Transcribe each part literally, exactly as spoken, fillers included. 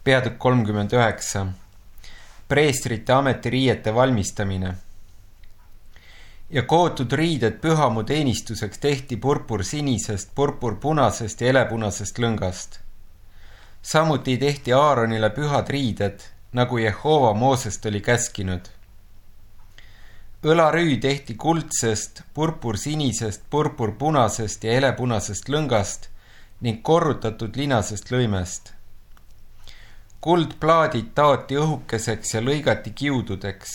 Peatükk kolmkümmend üheksa. Preestrite ametiriiete valmistamine. Ja kootud riided pühamu teenistuseks tehti purpur sinisest, purpur punasest ja elepunasest lõngast. Samuti tehti Aaronile pühad riided, nagu Jehova Moosest oli käskinud. Õlarüü tehti kuldsest, purpur sinisest, purpur punasest ja elepunasest lõngast ning korrutatud linasest lõimest. Kuldplaadid taoti õhukeseks ja lõigati kiududeks,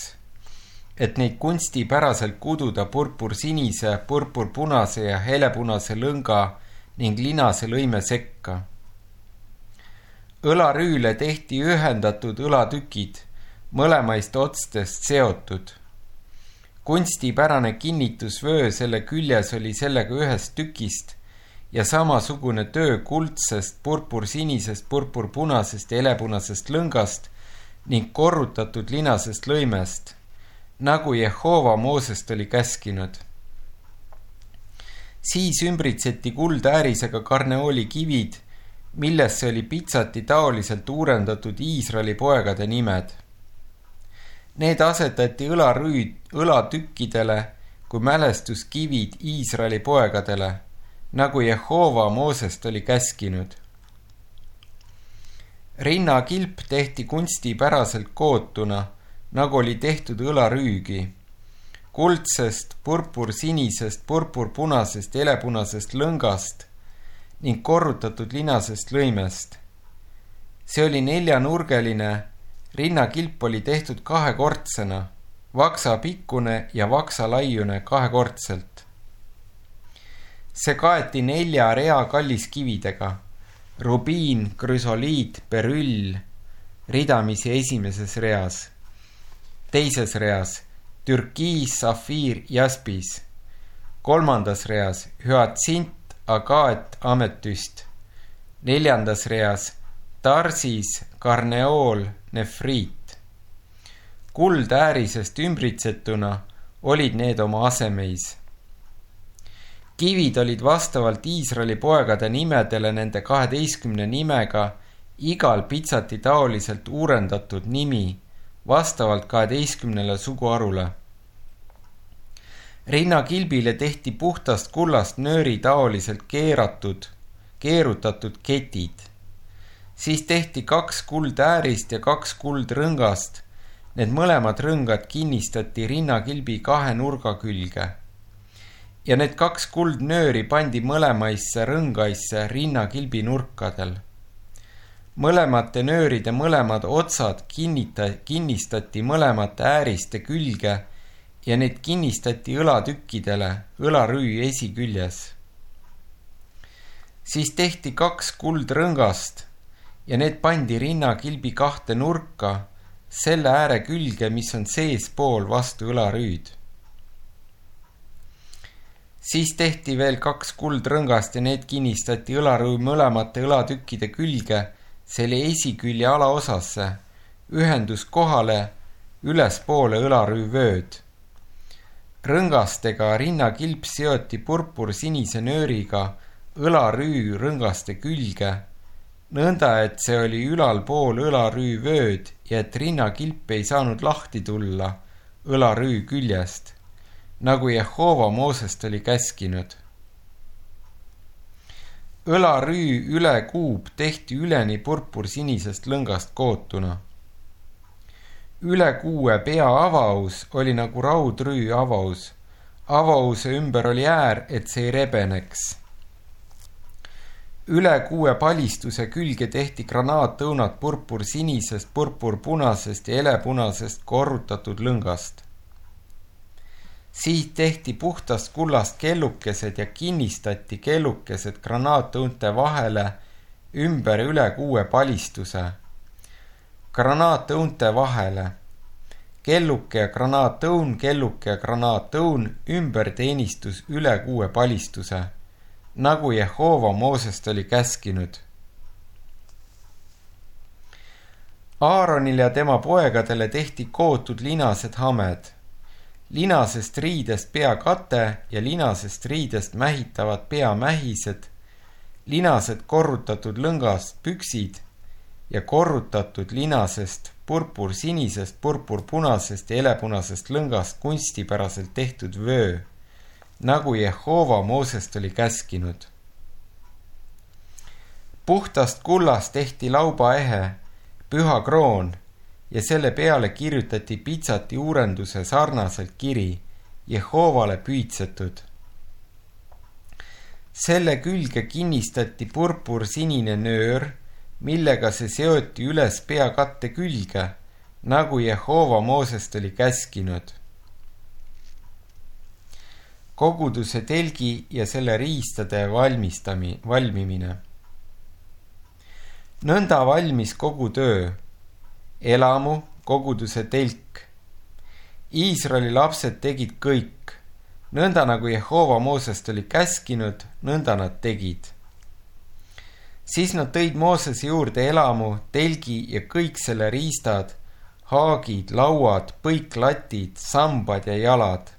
et neid kunstipäraselt kududa purpur sinise, purpur punase ja helepunase lõnga ning linase lõime sekka. Õlarüüle tehti ühendatud õlatükid, mõlemaist otstest seotud. Kunstipärane kinnitusvöö selle küljes oli sellega ühest tükist ja samasugune töö kuldsest, purpur sinisest, purpur punasest ja elepunasest lõngast ning korrutatud linasest lõimest, nagu Jehova Moosest oli käskinud. Siis ümbritseti kuldäärisega karneooli kivid, millesse oli pitsati taoliselt uurendatud Iisraeli poegade nimed. Need asetati õlarüüd, õlatükkidele kui mälestuskivid Iisraeli poegadele, nagu Jehova Moosest oli käskinud. Rinnakilp tehti kunstipäraselt kootuna, nagu oli tehtud õlarüügi, kuldsest, purpur sinisest, purpur punasest ja elepunasest lõngast ning korrutatud linasest lõimest. See oli neljanurgeline, rinnakilp oli tehtud kahekordsena, vaksa pikkune ja vaksa laiune kahekordselt. See kaeti nelja rea kalliskividega, rubiin, krüsoliit, berüll, ridamisi esimeses reas, teises reas türkiis, safiir, jaspis, kolmandas reas hüatsint, agaat, ametüst, neljandas reas tarsis, karneool, nefriit. Kuldäärisest ümbritsetuna olid need oma asemeis. Kivid olid vastavalt Iisraeli poegade nimedele nende kaheteistkümne nimega igal pitsati taoliselt uurendatud nimi vastavalt kaheteistkümnele suguarule. Rinnakilbile tehti puhtast kullast nööri taoliselt keeratud, keerutatud ketid. Siis tehti kaks kuldäärist ja kaks kuldrõngast. Need mõlemad rõngad kinnistati rinnakilbi kahe nurga külge. Ja need kaks kuldnööri pandi mõlemaisse rõngaisse rinnakilbi nurkadel. Mõlemate nööride mõlemad otsad kinnita, kinnistati mõlemate ääriste külge ja need kinnistati õlatükkidele õlarüü esiküljes. Siis tehti kaks kuldrõngast ja need pandi rinnakilbi kahte nurka selle ääre külge, mis on seespool vastu õlarüüd. Siis tehti veel kaks kuldrõngast ja need kinnistati õlarüü mõlemate õlatükkide külge selle esikülje alaosasse, ühenduskohale ülespoole õlarüü vööd. Rõngastega rinnakilp seoti purpur sinise nööriga õlarüü rõngaste külge, nõnda et see oli ülalpool õlarüü vööd ja et rinnakilp ei saanud lahti tulla õlarüü küljest, nagu Jehova Moosest oli käskinud. Õlarüü üle kuub tehti üleni purpur sinisest lõngast kootuna. Üle kuue pea avaus oli nagu raudrüü avaus. Avause ümber oli äär, et see ei rebeneks. Üle kuue palistuse külge tehti granaatõunad purpur sinisest, purpur punasest ja elepunasest korrutatud lõngast. Siit tehti puhtast kullast kellukesed ja kinnistati kellukesed granaatõunte vahele ümber üle kuue palistuse. Granaatõunte vahele. Kelluke ja granaatõun, kelluke ja granaatõun ümber teenistus üle kuue palistuse, nagu Jehova Moosest oli käskinud. Aaronile ja tema poegadele tehti kootud linased hamed. Linasest riidest peakate ja linasest riidest mähitavad peamähised, linased korrutatud lõngast püksid ja korrutatud linasest, purpursinisest, purpurpunasest ja helepunasest lõngast kunstipäraselt tehtud vöö, nagu Jehova Moosest oli käskinud. Puhtast kullast tehti laubaehe, püha kroon ja selle peale kirjutati pitsati uurenduse sarnaselt kiri, Jehovale püütsetud. Selle külge kinnistati purpursinine nöör, millega see seoti üles peakatte külge, nagu Jehova Moosest oli käskinud. Koguduse telgi ja selle riistade valmistami, valmimine. Nõnda valmis kogu töö, elamu, koguduse telk. Iisraeli lapsed tegid kõik, nõnda nagu Jehova Moosest oli käskinud, nõnda nad tegid. Siis nad tõid Moosese juurde elamu, telgi ja kõik selle riistad, haagid, lauad, põiklatid, sambad ja jalad.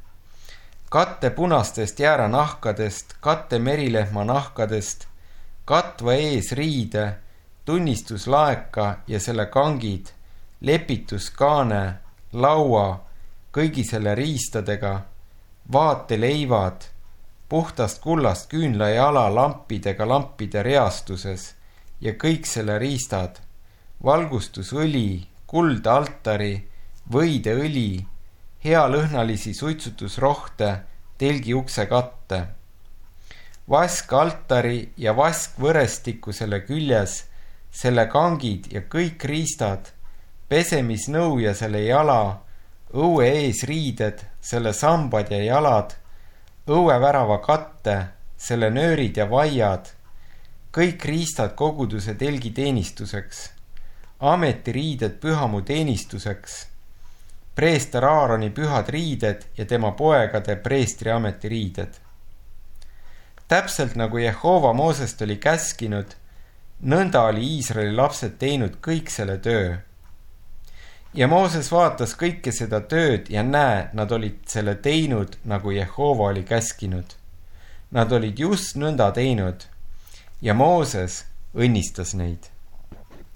Katte punastest jääranahkadest, katte merilehma nahkadest, katva ees riide, tunnistuslaeka ja selle kangid, lepituskaane, laua, kõigi selle riistadega, vaateleivad, puhtast kullast küünla ja ala lampidega lampide reastuses ja kõik selle riistad, valgustusõli, kuld altari, võideõli, healõhnalisi suitsutusrohte, telgi ukse katte. Vask altari ja vask võrestiku selle küljes, selle kangid ja kõik riistad, pesemisnõu ja selle jala, õue ees riided, selle sambad ja jalad, õuevärava katte, selle nöörid ja vaiad, kõik riistad koguduse telgi teenistuseks, ametiriided pühamu teenistuseks, preester Aaroni pühad riided ja tema poegade preestri ametiriided. Täpselt nagu Jehova Moosest oli käskinud, nõnda oli Iisraeli lapsed teinud kõik selle töö. Ja Mooses vaatas kõike seda tööd ja näe, nad olid selle teinud, nagu Jehova oli käskinud. Nad olid just nõnda teinud ja Mooses õnnistas neid.